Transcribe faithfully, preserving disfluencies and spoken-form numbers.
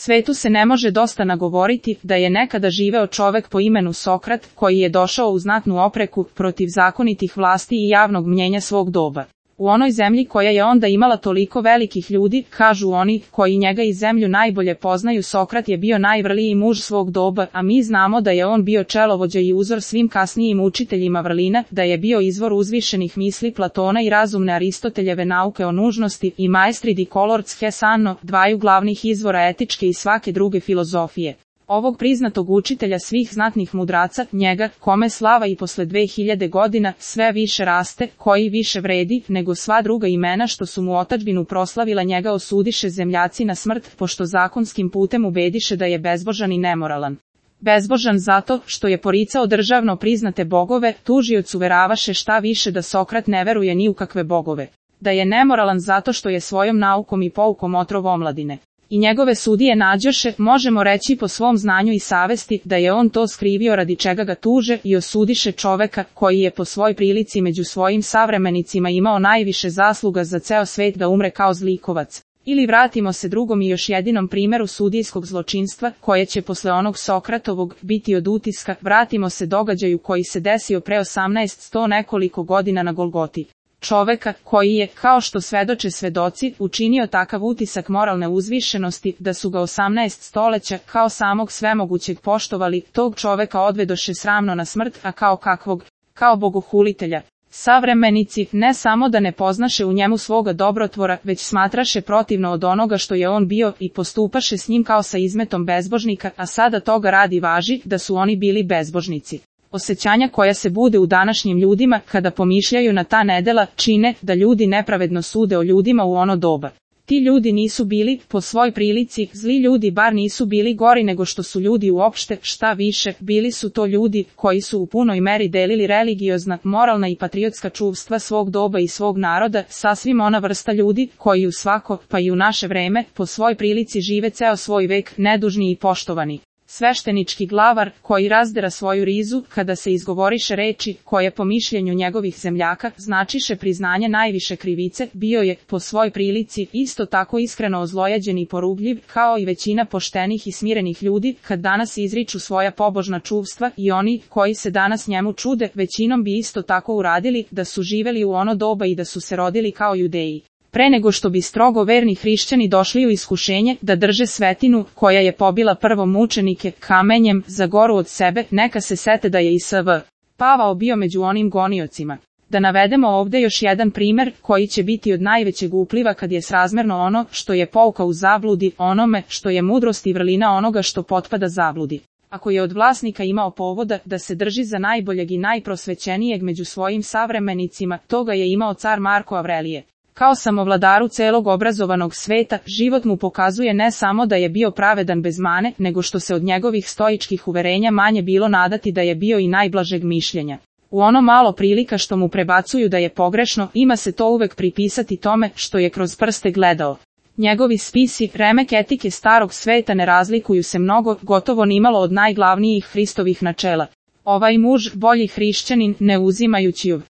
Svetu se ne može dosta nagovoriti da je nekada živeo čovek po imenu Sokrat, koji je došao u znatnu opreku protiv zakonitih vlasti i javnog mnjenja svog doba. U onoj zemlji koja je onda imala toliko velikih ljudi, kažu oni koji njega i zemlju najbolje poznaju, Sokrat je bio najvrliji muž svog doba, a mi znamo da je on bio čelovođa i uzor svim kasnijim učiteljima vrlina, da je bio izvor uzvišenih misli Platona i razumne Aristoteljeve nauke o nužnosti i maestri di colors Hesano, dvaju glavnih izvora etičke i svake druge filozofije. Ovog priznatog učitelja svih znatnih mudraca, njega, kome slava i posle dve hiljade godina sve više raste, koji više vredi nego sva druga imena što su mu otadžbinu proslavila, njega osudiše zemljaci na smrt, pošto zakonskim putem ubediše da je bezbožan i nemoralan. Bezbožan zato što je poricao državno priznate bogove, tužioc uveravaše šta više da Sokrat ne veruje ni u kakve bogove. Da je nemoralan zato što je svojom naukom i poukom otrov omladine. I njegove sudije nađoše, možemo reći po svom znanju i savesti, da je on to skrivio radi čega ga tuže, i osudiše čoveka koji je po svoj prilici među svojim savremenicima imao najviše zasluga za ceo svet da umre kao zlikovac. Ili vratimo se drugom i još jedinom primjeru sudijskog zločinstva, koje će posle onog Sokratovog biti od utiska, vratimo se događaju koji se desio pre osamnaest sto nekoliko godina na Golgoti. Čoveka koji je, kao što svedoče svedoci, učinio takav utisak moralne uzvišenosti da su ga osamnaest stoleća kao samog svemogućeg poštovali, tog čoveka odvedoše sramno na smrt, a kao kakvog, kao bogohulitelja. Savremenici ne samo da ne poznaše u njemu svoga dobrotvora, već smatraše protivno od onoga što je on bio i postupaše s njim kao sa izmetom bezbožnika, a sada toga radi važi da su oni bili bezbožnici. Osećanja koja se bude u današnjim ljudima kada pomišljaju na ta nedela čine da ljudi nepravedno sude o ljudima u ono doba. Ti ljudi nisu bili, po svoj prilici, zli ljudi, bar nisu bili gori nego što su ljudi uopšte, šta više, bili su to ljudi koji su u punoj meri delili religiozna, moralna i patriotska čuvstva svog doba i svog naroda, sasvim ona vrsta ljudi koji u svako, pa i u naše vreme, po svoj prilici žive ceo svoj vek, nedužni i poštovani. Sveštenički glavar, koji razdera svoju rizu, kada se izgovoriše reči, koje po mišljenju njegovih zemljaka, značiše priznanje najviše krivice, bio je, po svoj prilici, isto tako iskreno ozlojađen i porugljiv, kao i većina poštenih i smirenih ljudi, kad danas izriču svoja pobožna čuvstva, i oni, koji se danas njemu čude, većinom bi isto tako uradili, da su živeli u ono doba i da su se rodili kao Judeji. Pre nego što bi strogo verni hrišćani došli u iskušenje da drže svetinu, koja je pobila prvo mučenike kamenjem za goru od sebe, neka se sete da je i S V Pavao bio među onim goniocima. Da navedemo ovde još jedan primer, koji će biti od najvećeg upliva kad je srazmerno ono što je pouka u zabludi, onome što je mudrost i vrlina onoga što potpada zabludi. Ako je od vlasnika imao povoda da se drži za najboljeg i najprosvećenijeg među svojim savremenicima, toga je imao car Marko Avrelije. Kao samovladaru celog obrazovanog sveta, život mu pokazuje ne samo da je bio pravedan bez mane, nego što se od njegovih stoičkih uverenja manje bilo nadati da je bio i najblažeg mišljenja. U ono malo prilika što mu prebacuju da je pogrešno, ima se to uvek pripisati tome što je kroz prste gledao. Njegovi spisi, remek etike starog sveta ne razlikuju se mnogo, gotovo nimalo od najglavnijih Hristovih načela. Ovaj muž, bolji hrišćanin, ne uzimajući u